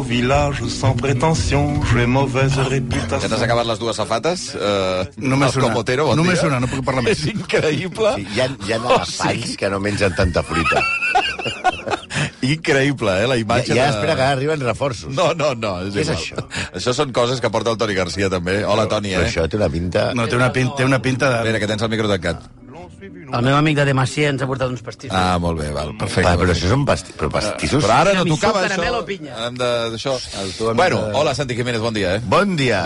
village sans prétention, j'ai mauvaise réputation. Ja t'has acabat les dues safates? Només una. Comotero, bon Només dia. una, no puc parlar més. És increïble. Sí, hi ha elefants que no mengen tanta fruita. Increïble, la imatge Ja espera que arriben reforços. No, és Què és igual. això? Això són coses que porta el Toni Garcia, també. Hola, Toni, Però això té una pinta... No, té una pinta de... Espera, que tens el micro tancat. El meu amic de Demacia ens ha portat uns pastissos. Ah, molt bé, val, perfecte. Però això són pastissos. Però ara no Tiramisú, tocava caramel això. o pinya? Hem d'això. Bueno, hola, Santi Jiménez, bon dia, Bon dia.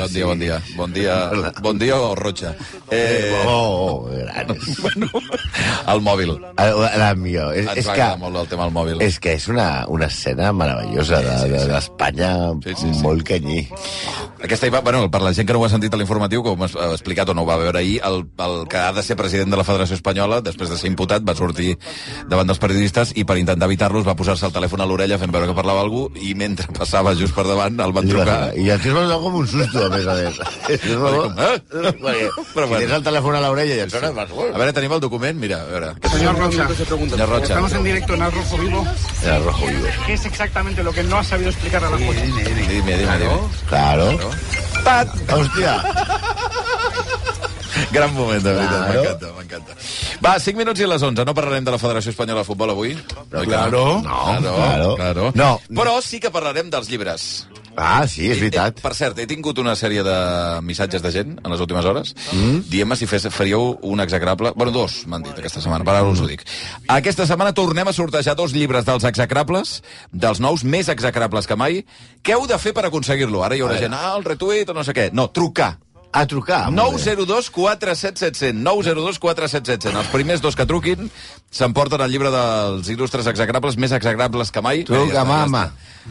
Bon dia o Rocha. Grans. El mòbil. La millor. Ens va agradar molt el tema del mòbil. És que és una escena meravellosa d'Espanya, molt canyí. Aquesta, bueno, per la gent que no ho ha sentit a l'informatiu, com ha explicat o no ho va veure ahir, el que ha de ser president de la Federació Espanyola, després de ser imputat, va sortir davant dels periodistes i per intentar evitar-los va posar-se el telèfon a l'orella fent veure que parlava algú i mentre passava just per davant el van trucar. I el tio es va donar com un susto, a més a més. Però Si tens el telèfon a l'orella i et sona... A veure, tenim el document? Mira, a veure. Señor Rocha, Señor Rocha. estamos en directo en Al Rojo Vivo. El rojo vivo. ¿Qué es exactamente lo que no ha sabido explicar a la jueza? Dime. Claro. Hòstia. Gran moment, de veritat, Claro. m'encanta. Va, 5 minuts i a les 11. No parlarem de la Federació Espanyola de Futbol avui? Claro. Claro. No. Però sí que parlarem dels llibres. Ah, sí, és veritat. Per cert, he tingut una sèrie de missatges de gent en les últimes hores dient-me si faríeu un execrable... Bueno, dos, m'han dit aquesta setmana, per ara us ho dic. Aquesta setmana tornem a sortejar 2 llibres dels execrables, dels nous, més execrables que mai. Què heu de fer per aconseguir-lo? Ara hi haurà gent, el retuit o no sé què. No, trucar. A trucar. 902 47 700. 902 47 700. Els primers 2 que truquin s'emporten el llibre dels il·lustres execrables, més execrables que mai. Truca, mama.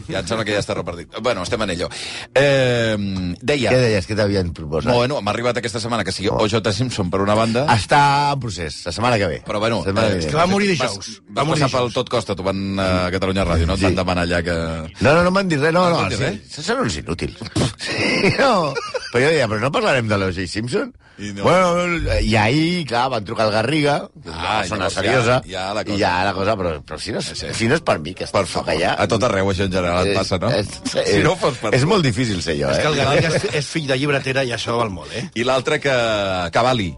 Ja em sembla que ja està repartit. Bueno, estem en ello. Deia... Què deies? Què t'havien proposat? Bueno, m'ha arribat aquesta setmana que sigui O.J. Simpson per una banda... Està en procés, la setmana que ve. Però bueno... És que va morir dijous. Va passar pel Tot Costa, tu van a Catalunya Ràdio, no? Et van demanar allà que... No m'han dit res, no. No t'han dit res? Sí, són uns inútils. Sí, no. Però jo deia, però no parlarem de l'O.J. Simpson? I no. Bueno, i ahir, clar, van trucar al Garriga, que és una persona llavors seriosa, ja la cosa. i ja la cosa, però si no és per mi, que Per favor, a tot arreu això en general et passa, no? Si no fos per... És molt difícil ser jo, És que el eh? Garriga és fill de llibretera i això val molt, eh? I l'altre que... Cavalli.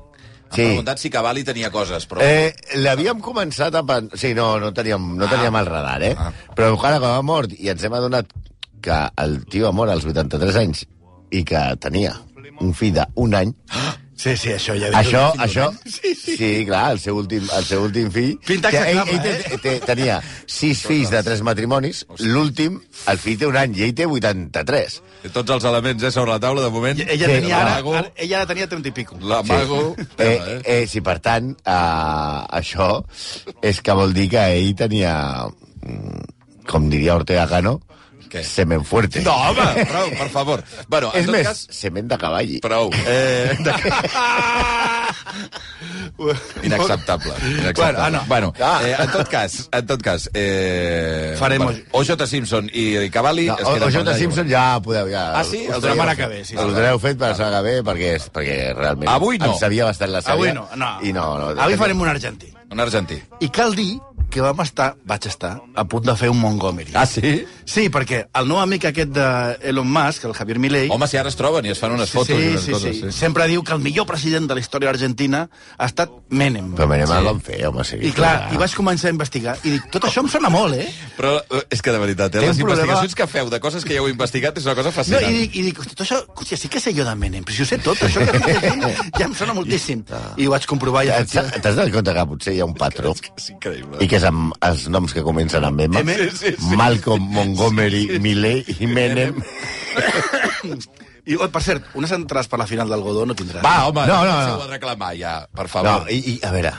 Sí. M'han preguntat si Cavalli tenia coses, però... L'havíem començat a... Sí, no teníem el radar, eh? Però ara, quan ha mort, i ens hem adonat que el tio ha mort als 83 anys i que tenia un fill d'un any... Sí, això ja... Això, sí, clar, el seu últim fill... Pinta que execrable, ell tenia 6 fills de 3 matrimonis, l'últim, el fill té un any, i ell té 83. Tots els elements, sobre la taula, de moment. Ella Sí, tenia l'amago. ella tenia 30 i pico. L'amago... Sí, per tant, això és que vol dir que ell tenia, com diria Ortega Cano, Què? semen fuerte. No, home, prou, per favor. Bueno, en És tot més, cas... semen de cavall. Prou. Inacceptable. Bueno, en tot cas... Farem O.J. Simpson i Cavalli... No, O.J. Simpson ja podeu... Ah, sí? El setmana que ve, sí. El teniu fet per la setmana que ve perquè realment... Avui no. Em sabia bastant la sèrie. Avui no. I no. Avui farem un argentí. Un argentí. I cal dir que vaig estar, a punt de fer un Montgomery. Ah, sí? Sí, perquè el nou amic aquest d'Elon Musk, el Javier Milei... Home, si ara es troben i es fan unes fotos i unes coses. Sí. Sempre diu que el millor president de la història argentina ha estat Menem. Però Menem el van fer, home, sí. I clar, i vaig començar a investigar i dic, tot això em sona molt, eh? Però és que de veritat, les investigacions que feu de coses que ja heu investigat és una cosa No, fascinant. i dic, tot això, hòstia, sí que sé jo de Menem, però si ho sé tot, això que estic dient ja em sona moltíssim. I ho vaig comprovar i T'has donat compte que potser hi ha un patró És increïble. i que és amb els noms que comencen amb M? Sí. Malcolm, Montgomery, Milei i Menem. I, per cert, unes entrades per la final del Godó no tindràs. Va, home, No. ho ha de reclamar ja, per favor. No, a veure...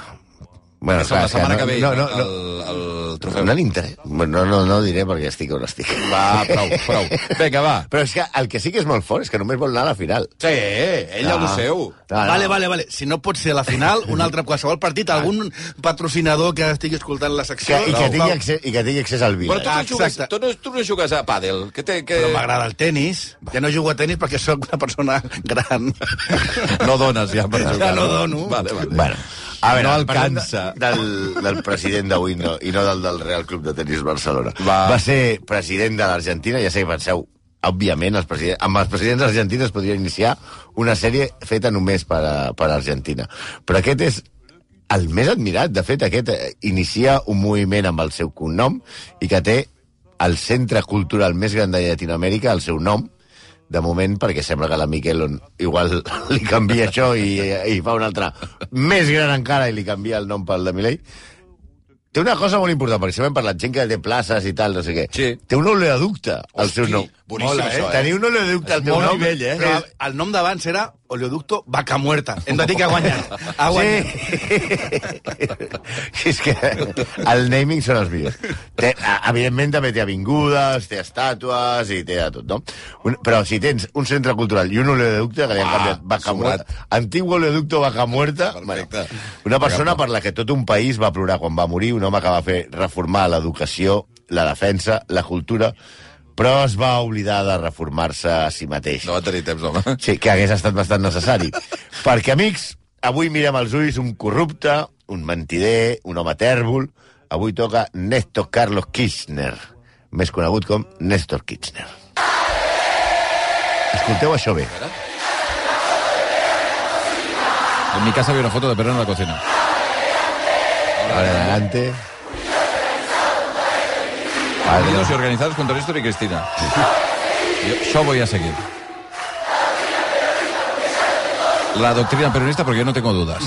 Bueno, La setmana que ve, no, el trofeu. no l'interessa. No diré perquè estic on estic. Va, prou. Vinga, va. Però és que el que sí que és molt fort és que només vol anar a la final. Sí, ell a lo seu. Vale. Si no pot ser a la final, un altre qualsevol partit, algun patrocinador que estigui escoltant la secció... I que tingui accés al vi. Però tu no jugues a pàdel. Però m'agrada el tennis. Ja no jugo a tennis perquè sóc una persona gran. No dones ja per jugar. Ja no dono. Vale. Bueno, A veure, no parlem alcança. del president d'avui i no del Real Club de Tenis Barcelona. Va ser president de l'Argentina, ja sé que penseu, òbviament, amb els presidents argentins es podria iniciar una sèrie feta només per Argentina. Però aquest és el més admirat. De fet, aquest inicia un moviment amb el seu cognom i que té el centre cultural més gran de Llatinoamèrica, el seu nom, de moment, perquè sembla que la Miquel igual li canvia això i fa un altre més gran encara i li canvia el nom pel de Milei. Té una cosa molt important, perquè sempre hem parlat gent que té places i tal, no sé què. Sí. Té un oleoducte al seu nom. Boníssim, això, Tenir un oleoducte al teu Molt nom... nivell, Però el nom d'abans era Oleoducto Vaca Muerta. Hem de dir que ha guanyat. Ha guanyat. Sí. És que el naming són els millors. Evidentment també té avingudes, té estàtues i té de tot, no? Però si tens un centre cultural i un oleoducte, que li han canviat Vaca Muerta, antic oleoducto Vaca Muerta, Perfecte. una persona per la que tot un país va plorar quan va morir, un home que va fer reformar l'educació, la defensa, la cultura, però es va oblidar de reformar-se a si mateix. No va tenir temps, home. Sí, que hagués estat bastant necessari. Perquè, amics, avui mirem als ulls un corrupte, un mentider, un home tèrbol. Avui toca Néstor Carlos Kirchner, més conegut com Néstor Kirchner. Escolteu això bé. En mi casa había una foto de Perón en la cocina. Ahora adelante. Partidos y organizados contra Néstor y Cristina. Yo voy a seguir. La doctrina peronista, porque yo no tengo dudas.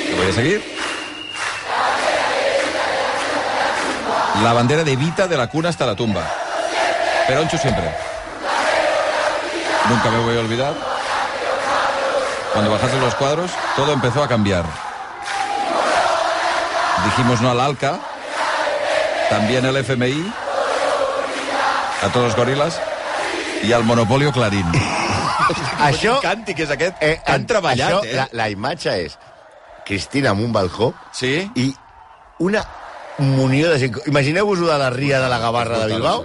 Yo voy a seguir. La bandera de Evita de la cuna hasta la tumba. Peroncho siempre. Nunca me voy a olvidar. Cuando bajasen los cuadros, todo empezó a cambiar. Dijimos no al ALCA, también el FMI, a todos los gorilas y al monopolio Clarín. Això... Càntic és aquest. Han treballat, això, la imatge és Cristina amb un balcó i una munió de gent. Imagineu-vos-ho de la Ria de la Gavarra de Bilbao,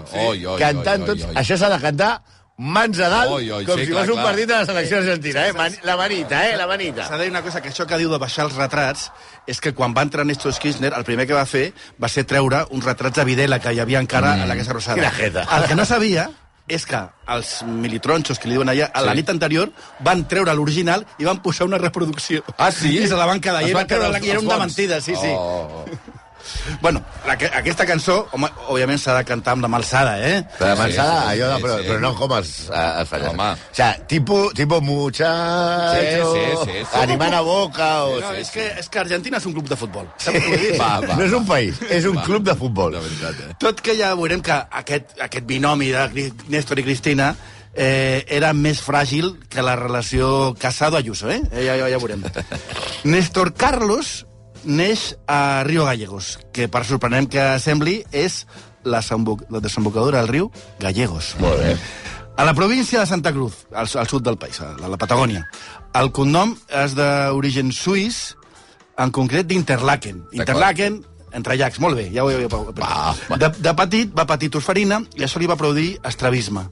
cantant tots. Això s'ha de cantar mans a dalt, com si fos un partit de la selecció argentina. La manita, la manita. S'ha de dir una cosa, que això que diu de baixar els retrats és que quan va entrar Néstor Kirchner, el primer que va fer va ser treure uns retrats de Videla que hi havia encara a la Casa Rosada. Quina jeta. El que no sabia és que els militronxos que li diuen allà, a la nit anterior, van treure l'original i van posar una reproducció. Ah, sí? I se la van quedar. I era un de mentida, sí. Bueno, aquesta cançó, home, òbviament s'ha de cantar amb la malsada, La malsada, allò de... Però no com els falles. Home. O sea, tipo muchacho, animant a boca... No, és que Argentina és un club de futbol. No és un país, és un club de futbol. Tot que ja veurem que aquest binomi de Néstor i Cristina era més fràgil que la relació Casado-Ayuso, ja veurem. Néstor Carlos neix a Río Gallegos, que, per sorprenent que sembli, és la desembocadura del riu Gallegos. Molt bé. A la província de Santa Cruz, al sud del país, a la Patagònia. El cognom és d'origen suís, en concret d'Interlaken. Interlaken, entre llacs, molt bé, ja ho he... De petit va patir tosferina i això li va produir estrabisme.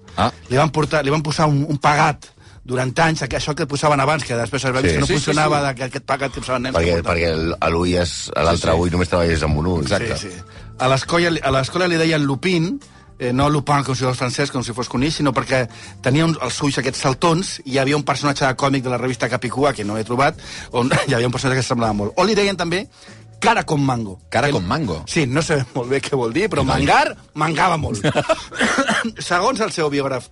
Li van posar un pagat durant anys, això que posaven abans, que després es va dir que no funcionava, aquest pagat que posaven nens. Perquè l'altre ull només treballes amb un ull. Exacte. A l'escola li deien Lupin, no Lupin com si fos francès, com si fos coneix, sinó perquè tenia els ulls aquests saltons i hi havia un personatge de còmic de la revista Capicúa, que no he trobat, on hi havia un personatge que semblava molt. O li deien també cara con mango. Cara con mango? Sí, no sé molt bé què vol dir, però mangava molt. Segons el seu biògraf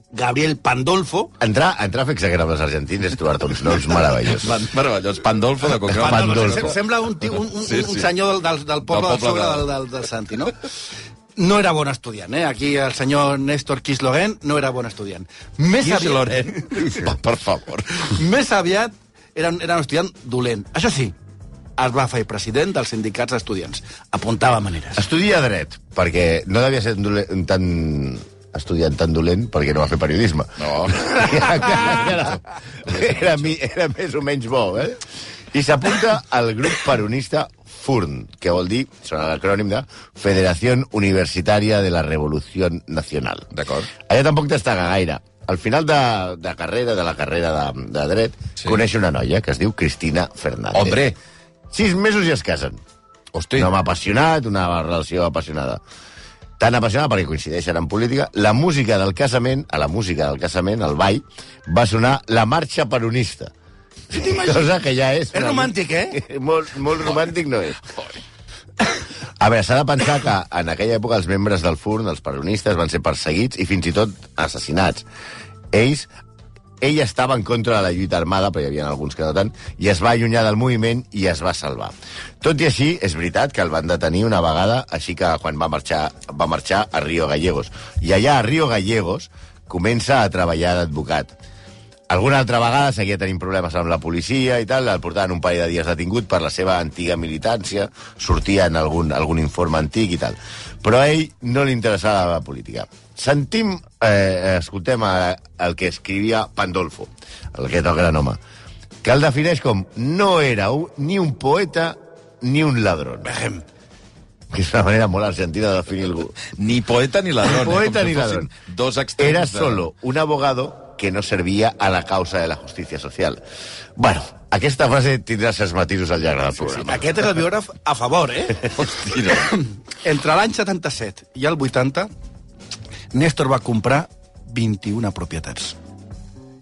Gabriel Pandolfo... Entrar a fer exagrables argentins és trobar-te uns noms meravellosos. Meravellós. Pandolfo de cognom. Pandolfo. Sembla un senyor del poble del sobre del Santi, no? No era bon estudiant, Aquí el senyor Néstor Kirchner no era bon estudiant. Kirchner, per favor. Més aviat era un estudiant dolent. Això sí, es va fer president dels sindicats d'estudiants. Apuntava maneres. Estudia dret, perquè no devia ser estudiant tan dolent perquè no va fer periodisme. No. Era més o menys bo, I s'apunta al grup peronista FURN, que vol dir, són l'acrònim de Federación Universitaria de la Revolución Nacional. D'acord. Allà tampoc destaca gaire. al final de la carrera de dret, coneix una noia que es diu Cristina Fernández. Hombre! 6 mesos i es casen. Hosti. Un home apassionat, una relació apassionada. Tan apassionada perquè coincideixen en política. La música del casament, el ball, va sonar la marxa peronista. Cosa que ja és... És romàntic, eh? Molt romàntic no és. A veure, s'ha de pensar que en aquella època els membres del FURN, els peronistes, van ser perseguits i fins i tot assassinats. Ell estava en contra de la lluita armada, però hi havia alguns que no tant, i es va allunyar del moviment i es va salvar. Tot i així, és veritat que el van detenir una vegada, així que quan va marxar a Río Gallegos. I allà, a Río Gallegos, comença a treballar d'advocat. Alguna altra vegada seguia tenint problemes amb la policia i tal, el portaven un parell de dies detingut per la seva antiga militància, sortia en algun informe antic i tal. Però a ell no li interessava la política. Escoltem el que escrivia Pandolfo, aquest gran home, que el defineix com no era ni un poeta ni un ladrón. Que és una manera molt argentina de definir algú. Ni poeta ni ladrón. Poeta ni ladrón. Dos extrems. Era solo un abogado que no servía a la causa de la justícia social. Bueno, aquesta frase tindrà certs matisos al llarg del programa. Aquest és el biògraf a favor, eh? Hosti, no. Entre l'any 77 i el 80, Néstor va comprar 21 propietats.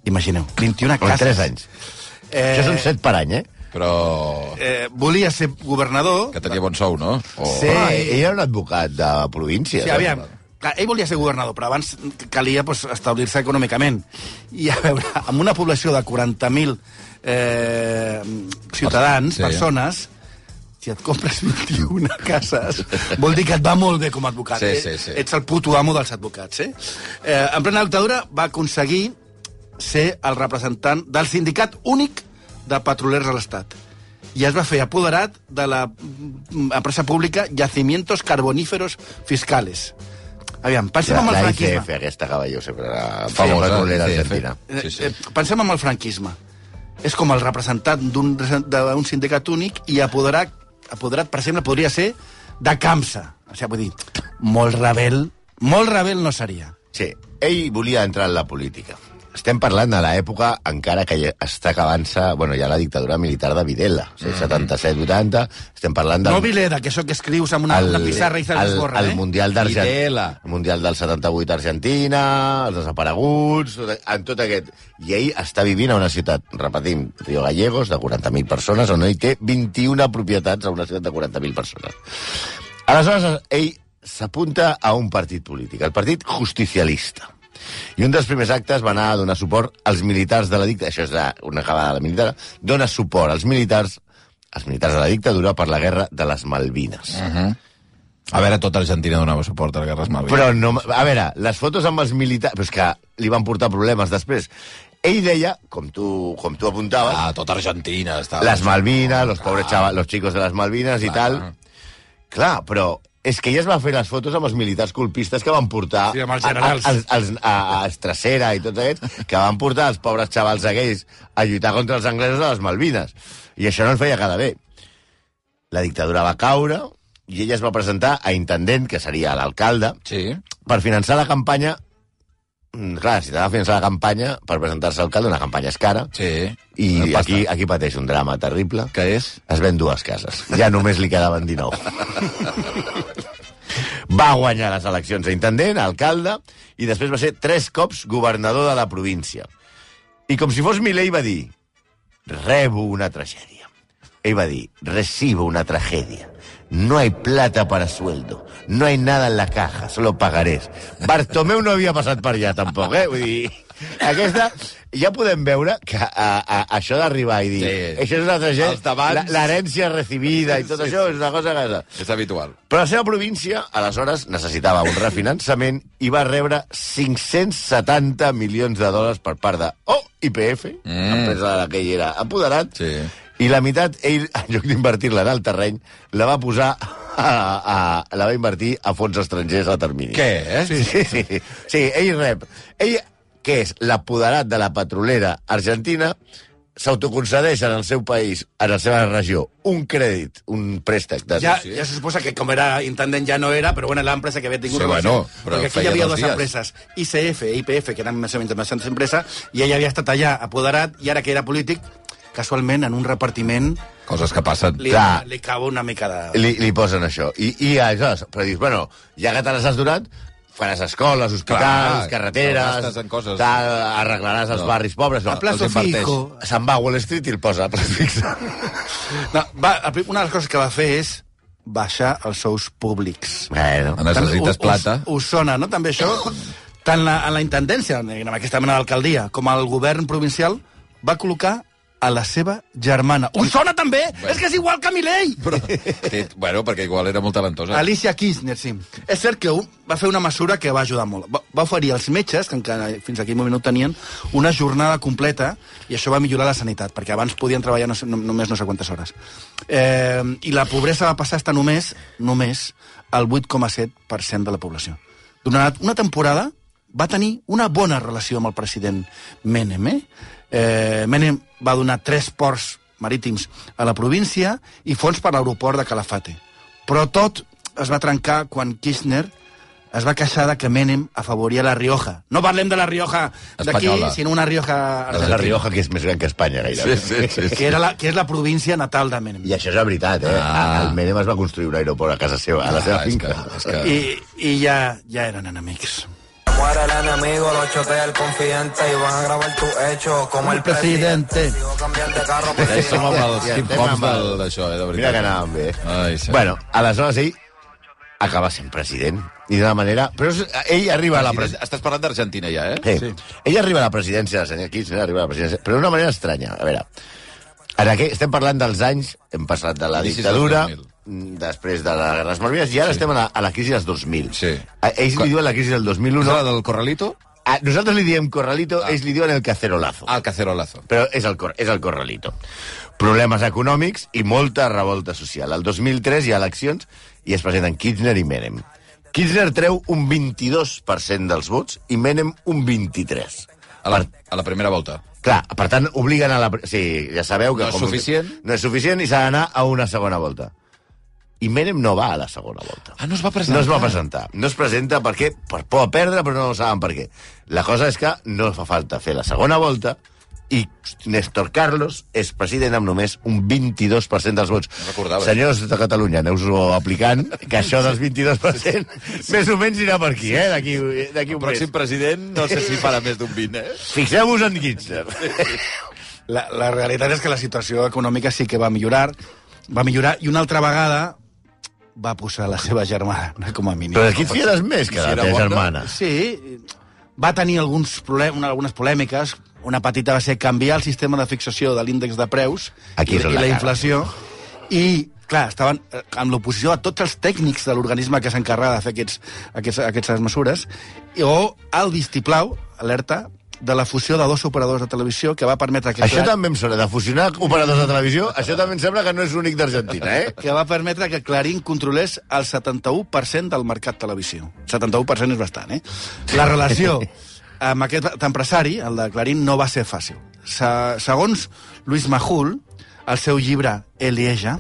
Imagineu, 21 cases. En 3 anys. Això són 7 per any, eh? Però... volia ser governador... Que tenia bon sou, no? Sí. Ell era un advocat de província. Sí, aviam. Ell volia ser governador, però abans calia establir-se econòmicament. I, a veure, amb una població de 40.000 ciutadans, persones, si et compres 21 cases, vol dir que et va molt bé com a advocat. Sí. Ets el puto amo dels advocats. En plena dictadura va aconseguir ser el representant del sindicat únic de petrolers a l'Estat. I es va fer apoderat de la empresa pública Yacimientos Carboníferos Fiscales. Aviam, pensem amb el franquisme. La ICF, aquesta cavalló, sempre era famosa petrolera argentina. Pensem amb el franquisme. És com el representant d'un sindicat únic i apoderat, per exemple, podria ser de CAMSA. O sigui, vull dir, molt rebel no seria. Sí, ell volia entrar en la política. Estem parlant de l'època encara que està acabant-se, bueno, ja la dictadura militar de Videla, 77-80, estem parlant del... No Vileda, que això que escrius amb una pissarra i se l'esborra, el Mundial d'Argentina, el Mundial del 78 Argentina, els desapareguts, en tot aquest... I ell està vivint a una ciutat, repetim, Río Gallegos, de 40.000 persones, on ell té 21 propietats a una ciutat de 40.000 persones. Aleshores, ell s'apunta a un partit polític, el Partit Justicialista. I un dels primers actes va anar a donar suport als militars de la dictadura, això és una acabada de la militar, dona suport als militars de la dictadura per la guerra de les Malvines. A veure, tota Argentina donava suport a la guerra de les Malvines. Però no, a veure, les fotos amb els militars... Però és que li van portar problemes després. Ell deia, com tu apuntaves... Tota Argentina estava... Les Malvines, los pobres chavales, los chicos de les Malvines i tal. Clar, però... És que ella es va fer les fotos amb els militars colpistes que van portar amb els generals. a Estracera i tots aquests, que van portar els pobres xavals aquells a lluitar contra els anglesos de les Malvines. I això no el feia cada bé. La dictadura va caure i ella es va presentar a intendent, que seria l'alcalde, per finançar la campanya. Clar, si t'ha de finançar la campanya per presentar-se a alcalde, una campanya és cara. I aquí pateix un drama terrible. Què és? Es ven 2 cases. Ja només li quedaven 19. Va guanyar les eleccions d'intendent, alcalde, i després va ser 3 cops governador de la província. I com si fos Milei va dir, rebo una tragèdia. Ell va dir, recibo una tragedia. No hay plata para sueldo. No hay nada en la caja, solo pagarés. Bartomeu no havia passat per allà, tampoc, eh? Vull dir, aquesta... Ja podem veure que això d'arribar i dir això és una tragèdia, l'herència recibida i tot això és una cosa que... És habitual. Però la seva província, aleshores, necessitava un refinançament i va rebre 570 milions de dòlars per part de YPF, empresa de la que ell era apoderat, i la meitat, ell, en lloc d'invertir-la en el terreny, la va posar la va invertir a fons estrangers a termini. Què? Sí, ell rep... Ell, que és l'apoderat de la petrolera argentina, s'autoconcedeix en el seu país, en la seva regió, un crèdit, un préstec de... Ja se suposa que com era intendent ja no era, però bueno, l'empresa que havia tingut... Sí, bueno, però perquè aquí hi feia havia 2 dues dies. empreses, ICF i IPF, que eren més o menys bastantes empreses, i ell havia estat allà apoderat, i ara que era polític, casualment, en un repartiment, Coses que passen. li cau una mica de... Li posen això. I aleshores, però dius, bueno, ja que te les has donat, faràs escoles, hospitals, carreteres, gastes en coses. arreglaràs els barris pobres. No, A plazo els inverteix. fijo. se'n va a Wall Street i el posa a plazo fixe. No, una de les coses que va fer és baixar els sous públics. Bueno, Necessites plata. Us sona, no, també això? Tant en la intendència, en aquesta mena d'alcaldia, com al govern provincial, va col·locar a la seva germana. Us sona també? Bueno. És que és igual que Milei! Bueno, perquè igual era molt talentosa. Alicia Kirchner, sí. És cert que va fer una mesura que va ajudar molt. Va oferir als metges, que encara fins aquell moment no tenien, una jornada completa, i això va millorar la sanitat, perquè abans podien treballar només no sé quantes hores. I la pobresa va passar a estar només al 8,7% de la població. Durant una temporada va tenir una bona relació amb el president Menem, Menem va donar 3 ports marítims a la província i fons per l'aeroport de Calafate. Però tot es va trencar quan Kirchner es va queixar de que Menem afavoria la Rioja. No parlem de la Rioja d'aquí, Espanyola. sinó una Rioja argentina, la Rioja, que és més gran que Espanya, gairebé. Sí. que és la província natal de Menem. I això és la veritat, El Menem es va construir un aeroport a casa seva, a la seva finca. És que... I ja eren enemics. Muere el enemigo, lo chotea el confidente y van a grabar tu hecho como el presidente. Sigo cambiando de carro. Ja hi som amb els Ja hip-hops estem amb d'això, de veritat. Mira que anàvem bé. Ai, sí. Bueno, aleshores ell acaba sent president. I d'una manera... Però ell arriba a la presidència... Estàs parlant d'Argentina ja, eh? Sí. Ell arriba a la presidència, el senyor Kirchner arriba a la presidència, però d'una manera estranya. A veure, estem parlant dels anys, hem passat de la Inicis dictadura, dels 2000. després de les Guerres Malvines, i ara estem a la crisi dels 2000. Sí. Ells li diuen la crisi del 2001. És la del Corralito? Nosaltres li diem Corralito, ells li diuen el cacerolazo. El cacerolazo. Però és el Corralito. Problemes econòmics i molta revolta social. El 2003 hi ha eleccions i es presenten Kirchner i Menem. Kirchner treu un 22% dels vots i Menem un 23%. A la primera volta. Clar, per tant, obliguen a la... Sí, ja sabeu que... No és suficient. No és suficient i s'ha d'anar a una segona volta. I Menem no va a la segona volta. Ah, no es va presentar? No es va presentar. No es presenta perquè per por a perdre, però no saben per què. La cosa és que no fa falta fer la segona volta i Néstor Carlos és president amb només un 22% dels vots. No recordava. Senyors de Catalunya, aneu-vos aplicant que això dels 22% més o menys irà per aquí, d'aquí un El pròxim mes. president no sé si farà més d'un 20, Fixeu-vos en Kirchner. La realitat és que la situació econòmica sí que va millorar, i una altra vegada va posar la seva germana, com a mínim. Però aquí et fiaràs més que Si la era teva bona. germana. Sí, va tenir algunes polèmiques. Una petita va ser canviar el sistema de fixació de l'índex de preus Aquí és on i la la cara. inflació. I, clar, estaven amb l'oposició a tots els tècnics de l'organisme que s'encarrega de fer aquestes mesures, o el vistiplau, alerta, de la fusió de 2 operadors de televisió que va permetre que... Això també em sona, de fusionar operadors de televisió, això també em sembla que no és únic d'Argentina, que va permetre que Clarín controlés el 71% del mercat televisió. 71% és bastant, La relació amb aquest empresari, el de Clarín, no va ser fàcil. Segons Luis Majul, al seu llibre Elieja,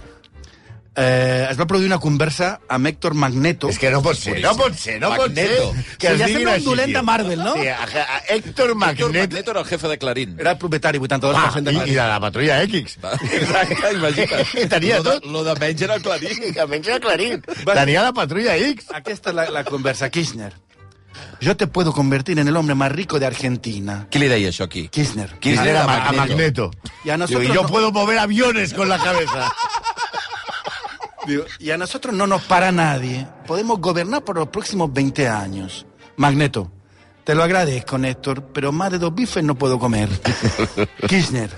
es va produir una conversa amb Héctor Magneto. És que no pot ser. Magneto. Que Sí, es ja diguin sembla un així, dolent tio. de Marvel, no? Sí, a Héctor Magneto. Magneto era el jefe de Clarín. Era el propietari, 82% de I Clarín. de la patrulla X. Exacte, imagina't. Tenia tot. Lo de menys era el Clarín. Que menys era Clarín. Tenia la patrulla X. Aquesta és la conversa. Kirchner. Yo te puedo convertir en el hombre más rico de Argentina. Qui li deia això aquí? Kirchner. Kirchner a a Magneto. Y a nosotros Digo, yo no- puedo mover aviones con la cabeza. Digo, y a nosotros no nos para nadie. Podemos gobernar por los próximos 20 años. Magneto, te lo agradezco, Néstor, pero más de 2 bifes no puedo comer. Kirchner,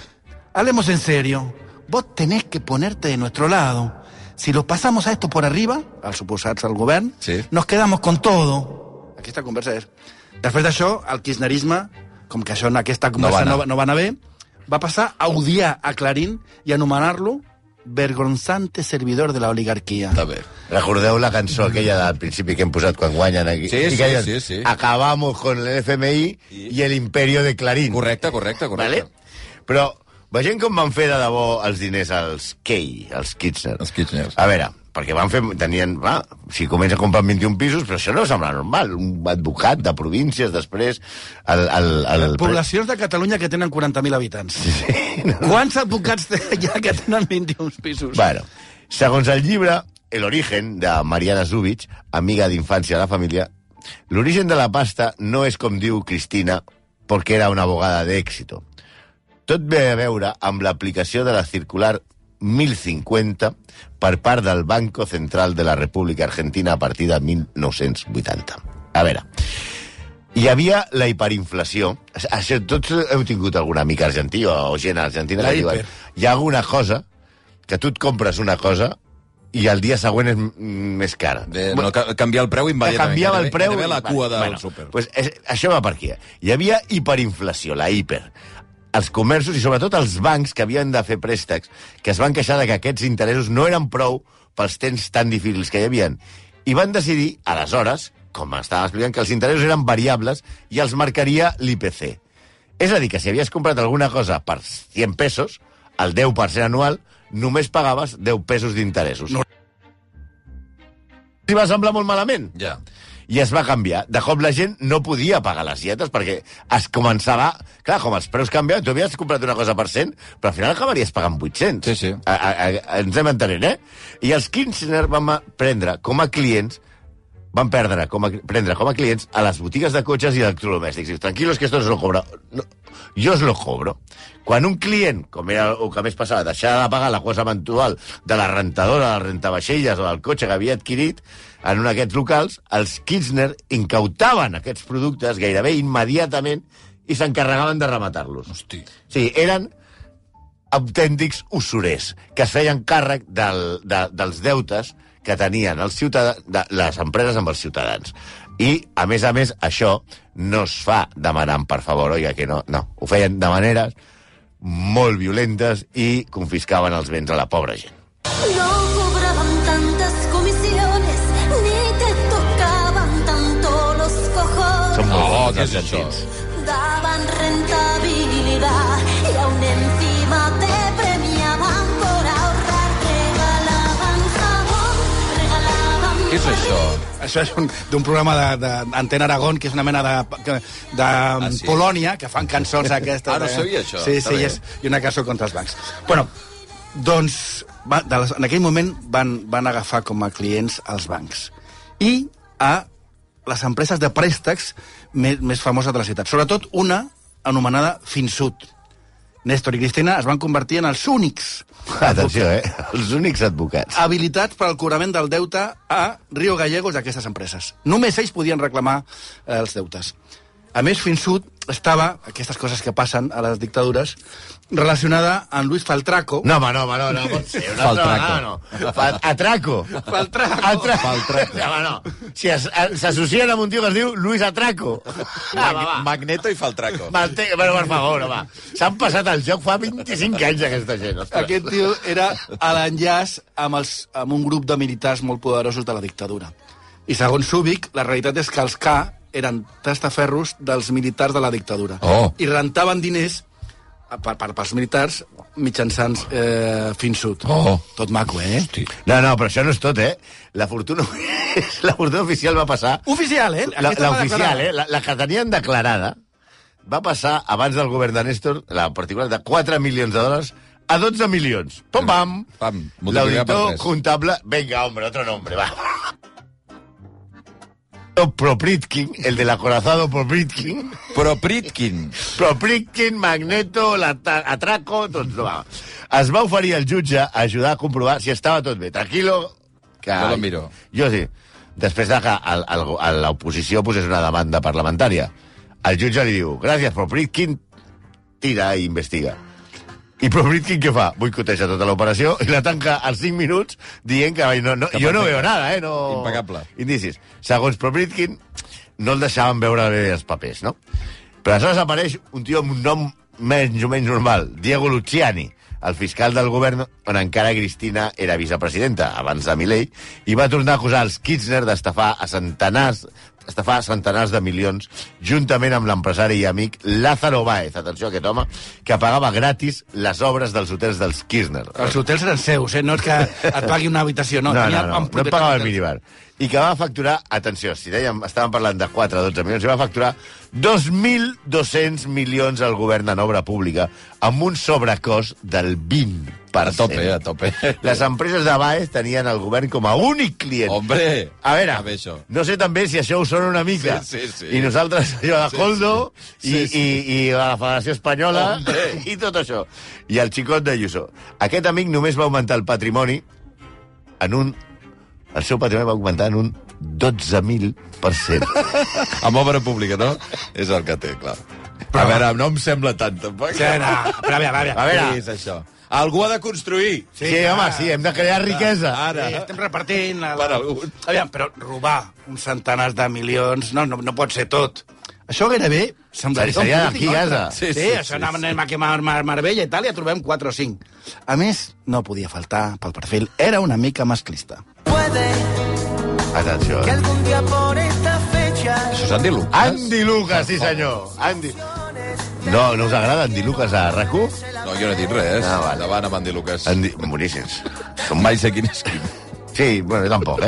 hablemos en serio. Vos tenés que ponerte de nuestro lado. Si lo pasamos a esto por arriba, al suposar-se al govern, Sí. nos quedamos con todo. Aquesta conversa és... Després d'això, el kirchnerisme, com que això en aquesta conversa no va anar bé, va passar a odiar a Clarín i anomenar-lo vergonzante servidor de la oligarquia. Està bé. Recordeu la cançó aquella del principi que hem posat quan guanyen aquí? Sí, I sí, que diuen, sí, sí. Acabamos con el FMI y el imperio de Clarín. Correcte. Vale? Però Vegem com van fer de debò els diners als Key, els Kirchner. Els Kirchner. A veure, perquè van fer... si comença a comprar 21 pisos, però això no sembla normal. Un advocat de províncies, després... Poblacions de Catalunya que tenen 40.000 habitants. Sí, no? Quants advocats hi ha que tenen 21 pisos? Bueno, segons el llibre El origen, de Mariana Zubich, amiga d'infància de la família, l'origen de la pasta no és com diu Cristina, perquè era una abogada d'èxito. Tot ve a veure amb l'aplicació de la circular 1050 per part del Banco Central de la República Argentina a partir de 1980. A veure, hi havia la hiperinflació. Tots heu tingut algun amic argentí o gent argentina que diuen hi ha alguna cosa que tu et compres una cosa i el dia següent és més cara. No, canviar el preu immediatament. Canviava el preu... la cua del súper. Pues això va per aquí. Hi havia hiperinflació, la hiper. Els comerços i sobretot els bancs que havien de fer préstecs, que es van queixar de que aquests interessos no eren prou pels temps tan difícils que hi havia. I van decidir, aleshores, com estava explicant, que els interessos eren variables i els marcaria l'IPC. És a dir, que si havies comprat alguna cosa per 100 pesos, el 10% anual, només pagaves 10 pesos d'interessos. No. I va semblar molt malament. Ja. I es va canviar. De cop la gent no podia pagar les dietes perquè es començava... Clar, com els preus canviaven, tu havies comprat una cosa per 100, però al final acabaries pagant 800. Sí, sí. Ens hem entenent, eh? I els Kirchner van prendre com a clients prendre com a clients a les botigues de cotxes i electrodomèstics. Dius, tranquilos, que esto os lo cobro. No, jo os lo cobro. Quan un client, com era el que més passava, deixava de pagar la cosa mensual de la rentadora, del rentavaixelles o del cotxe que havia adquirit en un d'aquests locals, els Kirchner incautaven aquests productes gairebé immediatament i s'encarregaven de rematar-los. Hosti. Sí, eren autèntics usurers que es feien càrrec dels deutes que tenien les empreses amb els ciutadans. I, a més, això no es fa demanant, per favor, oiga, que no. No, ho feien de maneres molt violentes i confiscaven els béns a la pobra gent. No cobraban tantas comisiones, ni te tocaban tanto los cojones. Són molt bons, què és els això? sentits. Daban rentabilidad y aún encima te premiaban por ahorrar. Regalaban jabón, regalaban... Què és això? Això és d'un programa d'Antena Aragón, que és una mena de sí? Polònia, que fan cançons aquestes. No sabia això. Sí, i una cançó contra els bancs. Bueno, doncs, en aquell moment van agafar com a clients els bancs i a les empreses de préstecs més famoses de la ciutat. Sobretot una anomenada Finsud. Néstor i Cristina es van convertir en els únics Atenció, els únics advocats habilitats per al cobrament del deute a Río Gallegos d'aquestes empreses. Només ells podien reclamar els deutes. A més, Finsud estava, aquestes coses que passen a les dictadures, relacionada amb Luis Faltraco. No, pot ser. Atraco. No. Si s'associen amb un tio que es diu Luis Atraco. Magneto i Faltraco. Però, per favor, home. S'han passat el joc fa 25 anys, aquesta gent. Ostres. Aquest tio era a l'enllaç amb un grup de militars molt poderosos de la dictadura. I segons Zubich, la realitat és que els K eren testaferros dels militars de la dictadura. Oh. I rentaven diners pels militars mitjançant Finsud. Oh. Tot maco, eh? Hosti. No, però això no és tot, eh? La fortuna oficial va passar... Oficial, eh? L'oficial, la que tenien declarada, va passar, abans del govern de Néstor, la particular de 4 milions de dòlars a 12 milions. Pam! L'auditor comptable... Venga, hombre, otro nombre, va. Propritkin, el del acorazado Propritkin. Propritkin, Magneto, Atraco, tots no va. Es va oferir al jutge a ajudar a comprovar si estava tot bé. Tranquilo, que... Jo lo miro. Jo sí. Després de que l'oposició posés una demanda parlamentària, el jutge li diu, gràcies, Propritkin, tira i investiga. I Propritkin què fa? Boicoteja tota l'operació i la tanca als 5 minuts dient que jo no veo nada, no... Impecable. Indicis. Segons Propritkin, no el deixaven veure bé els papers, no? Però aleshores apareix un tio amb un nom menys o menys normal, Diego Luciani, el fiscal del govern on encara Cristina era vicepresidenta, abans de Milei, i va tornar a acusar els Kirchner d'estafar a centenars estafar centenars de milions juntament amb l'empresari i amic Lázaro Báez, atenció a aquest home, que pagava gratis les obres dels hotels dels Kirchner. Els hotels eren seus, no és que et pagui una habitació, no. No et pagava el minibar. I que va facturar, atenció, si dèiem, estàvem parlant de 4 a 12 milions, i va facturar 2.200 milions al govern en obra pública, amb un sobrecost del 20%. A tope. Les empreses de Baez tenien el govern com a únic client. Hombre! A veure, no sé també si això ho sona una mica. Sí. I nosaltres, allò de Coldo, i la Federació Espanyola, i tot això. I el xicot de Ayuso. Aquest amic només va augmentar el patrimoni en un... El seu patrimoni va augmentar en un 12.000%. Amb obra pública, no? És el que té, clar. A veure, no em sembla tant, tampoc. Sí, no. Però a veure. Què és això? Algú ha de construir. Sí, home, sí, hem de crear riquesa. Ara. Sí, estem repartint... Per algun. Aviam, però robar uns centenars de milions no pot ser tot. Això gairebé semblaria Seria d'aquí a casa. Sí, això anem a quemar Marbella i tal, i ja trobem 4 o 5. A més, no podia faltar pel perfil. Era una mica masclista. Atenció. Que algún día por esta fecha... Això és Andy Lucas? Andy Lucas, sí senyor. No us agrada Andy Lucas a RAC1? No, jo no he dit res. Vale. Endavant amb Andy Lucas. Boníssims. Mai sé quin és quin. Sí, bueno, jo tampoc,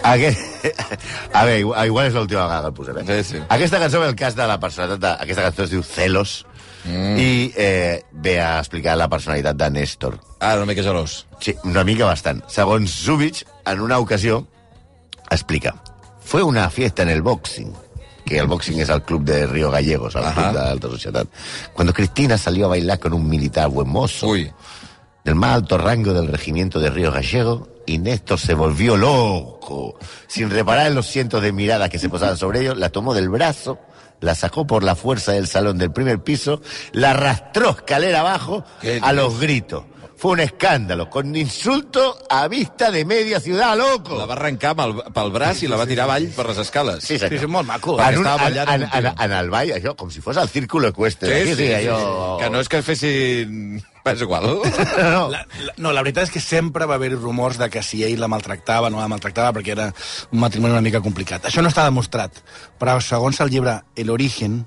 A veure, igual és l'última vegada que el posarem. Sí. Aquesta cançó ve el cas de la personalitat... Aquesta cançó es diu Celos, i ve a explicar la personalitat de Néstor. Una mica gelós. Sí, una mica bastant. Segons Zubich, en una ocasió, explica: fue una fiesta en el boxing, que el boxing es el club de Río Gallegos, el club de alta sociedad, cuando Cristina salió a bailar con un militar buen mozo, del más alto rango del regimiento de Río Gallego, y Néstor se volvió loco. Sin reparar en los cientos de miradas que se posaban sobre ellos, la tomó del brazo, la sacó por la fuerza del salón del primer piso, la arrastró escalera abajo a los gritos. Fue un escàndalo, con insulto a vista de media ciudad, loco. La va arrencar pel braç i la va tirar avall per les escales. Sí, senyor. Sí, és molt maco. En el ball, això, com si fos el círculo ecuestre. Sí. Que no és que fessin... És igual. La veritat és que sempre va haver rumors de que si ell la maltractava, no la maltractava, perquè era un matrimoni una mica complicat. Això no està demostrat, però segons el llibre El Origen,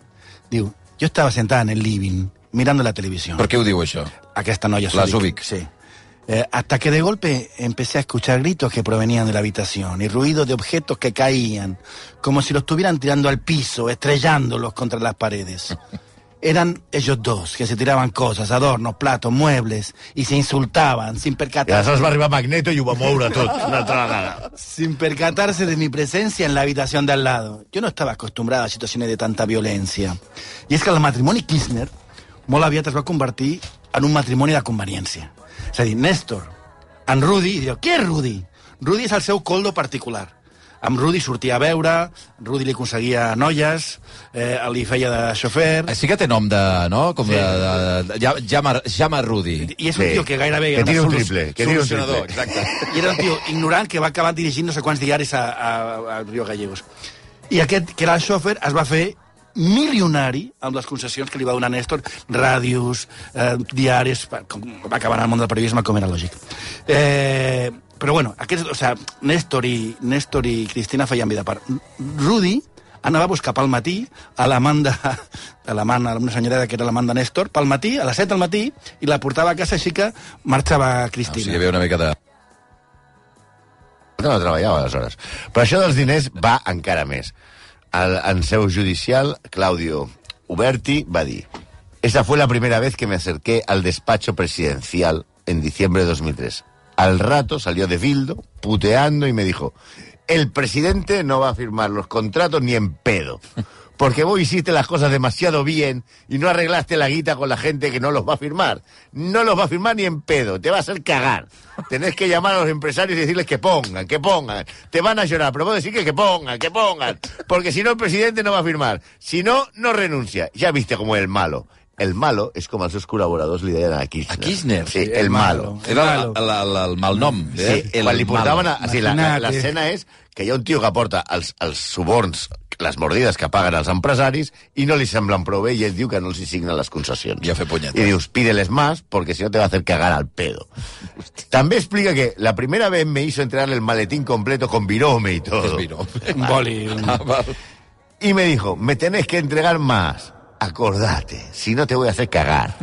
diu: yo estaba sentada en el living, mirando la televisión. Per què ho diu, això? Aquesta noia La Zubik. Sí. Hasta que de golpe empecé a escuchar gritos que provenían de la habitación y ruidos de objetos que caían, como si los estuvieran tirando al piso, estrellándolos contra las paredes. Eran ellos dos, que se tiraban cosas, adornos, platos, muebles, y se insultaban sin I percatarse. aleshores va arribar Magneto i ho va moure tot una altra vegada. Sin percatarse de mi presencia en la habitación de al lado. Yo no estaba acostumbrada a situaciones de tanta violencia. Y es que el matrimoni Kirchner molt aviat es va convertir en un matrimoni de conveniència. És a dir, Néstor, en Rudi, i diu: qui és Rudi? Rudi és el seu coldo particular. Amb Rudi sortia a veure, Rudi li aconseguia noies, li feia de xofer... Sí que té nom de... no? Com llama Rudi. I és un tio que gairebé... Que tira un triple. Solucionador, exacte. I era un tio ignorant que va acabar dirigint no sé quants diaris a Río Gallegos. I aquest, que era el xofer, es va fer milionari amb les concessions que li va donar Néstor, ràdios, diaris, va acabar en el món del periodisme, com era lògic. Però bueno, Néstor i Cristina feien vida a part. Rudi anava a buscar pel matí a l'amant, una senyora que era l'amant de Néstor, pel matí, a les 7 del matí, i la portava a casa, així que marxava Cristina. O sigui, hi havia una mica de... No treballava, aleshores. Però això dels diners va encara més. En seu judicial, Claudio Uberti va dir: esa fue la primera vez que me acerqué al despacho presidencial en diciembre de 2003. Al rato salió de Bildo, puteando, y me dijo: el presidente no va a firmar los contratos ni en pedo, porque vos hiciste las cosas demasiado bien y no arreglaste la guita con la gente que no los va a firmar. No los va a firmar ni en pedo, te va a hacer cagar. Tenés que llamar a los empresarios y decirles que pongan. Te van a llorar, pero vos decís que pongan, porque si no el presidente no va a firmar. Si no, no renuncia. Ya viste cómo es el malo. el malo és com els seus col·laboradors li deien a Kirchner. A Kirchner? Sí, el malo. Era el malnom. Sí, quan li portaven... L'escena és que hi ha un tio que porta els suborns, les mordides que paguen els empresaris, i no li semblen prou bé, i ell diu que no els hi signen les concessions. I a fer punyetes. I dius, pídeles más, porque si no te va a hacer cagar al pedo. També explica que la primera vez me hizo entregarle el maletín completo con virome y todo. Un boli. Y me dijo, me tenés que entregar más. Acordate, si no te voy a hacer cagar.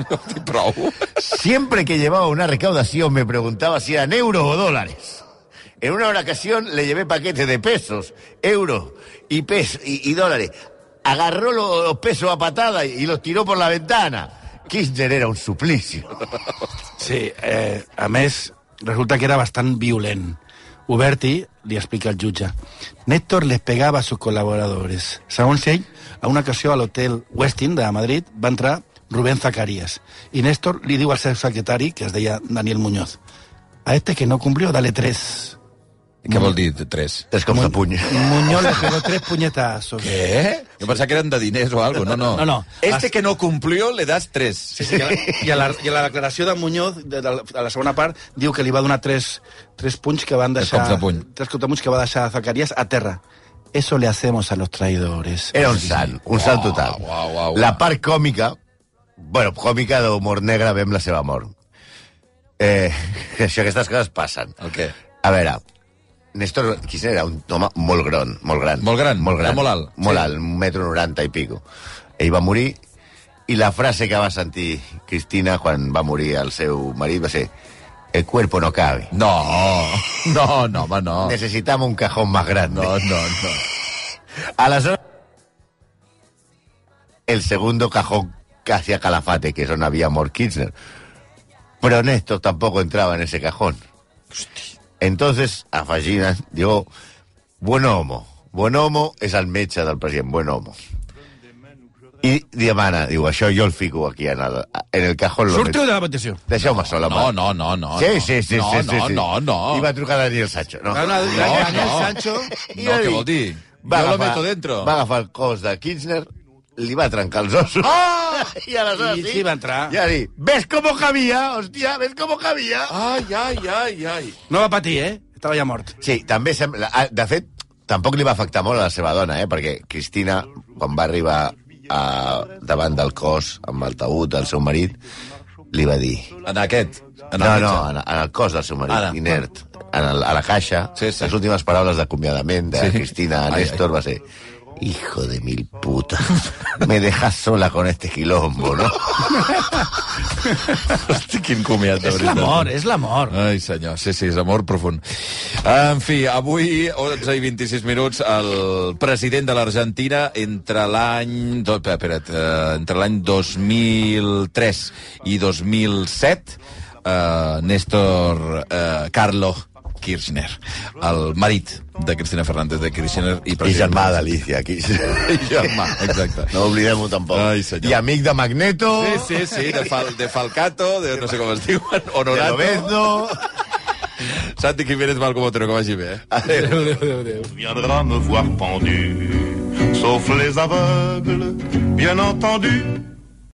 Prou. Siempre que llevaba una recaudación me preguntaba si eran euros o dólares. En una ocasión le llevé paquetes de pesos, euros y dólares. Agarró los pesos a patada y los tiró por la ventana. Kirchner era un suplicio. Sí, a més, resulta que era bastant violent. Uberti li explica al jutge. Néstor les pegava a sus colaboradores. Segons ell, a una ocasió a l'hotel Westin de Madrid va entrar Rubén Zacarías i Néstor li diu al seu secretari, que es deia Daniel Muñoz, a este que no cumplió, dale 3. Què vol dir, 3? 3 cops de puny. Muñoz le pegó 3 puñetazos. Què? Jo pensava que eren de diners o algo. No. Este que no cumplió, le das 3. Sí, i a la declaració de Muñoz, de la segona part, diu que li va donar 3 punys que van deixar... 3 cops de puny. 3 cops de punys que va deixar Zacarías a terra. Eso le hacemos a los traidores. Era un sant total. Uau. La part còmica, còmica d'humor negre, vam la seva mort. Aquestes coses passen. El què? A veure, Néstor Kirchner era un home molt gran. Molt gran? Era molt alt? Molt alt, 1,90 m i pico. Ell va morir, i la frase que va sentir Cristina quan va morir el seu marit va ser: el cuerpo no cabe. No, home, no. Necesitamos un cajón más grande. No. Aleshores, el segundo cajón que hacía Calafate, que es donde había mort Kirchner. Pero Néstor tampoco entraba en ese cajón. Entonces, afegint, diu, Buonomo és el metge del president, Buonomo. I demana, diu, això jo el fico aquí en el cajón. Surto de la petició. Deixeu-me sol, home. No. Sí. No. I va trucar Daniel Sancho. No, Daniel Sancho... No, què vol dir? Jo lo meto dentro. Va agafar el cos de Kirchner, li va trencar els ossos. I aleshores sí, va entrar. Ja dir, ¿ves cómo cabía? Hòstia, ¿ves cómo cabía? Ai. No va patir, Estava ja mort. Sí, també sembla... De fet, tampoc li va afectar molt a la seva dona, perquè Cristina, quan va arribar davant del cos, amb el taüt del seu marit, li va dir... En aquest? En el cos del seu marit, inert, a la caixa, les últimes paraules d'acomiadament de Cristina a Néstor va ser: hijo de mil puta, me dejas sola con este quilombo, no? Hosti, quin comiat, de veritat. És l'amor. Ai, senyor, sí, és amor profund. En fi, avui, 11 i 26 minuts, el president de l'Argentina, entre l'any 2003 i 2007, Néstor Carlos Kirchner, el marit de Cristina Fernández de Kirchner i germà d'Alicia Kirchner. I germà, exacte. No oblidem-ho tampoc. Ai, senyor. I amic de Magneto. Sí, de Falcato, de no sé com es diuen, Honorato. De Lobezno. Santi Jiménez Malcomotero, que vagi bé. Adéu. Viendra me voir pendu, sauf les aveugles, bien entendu.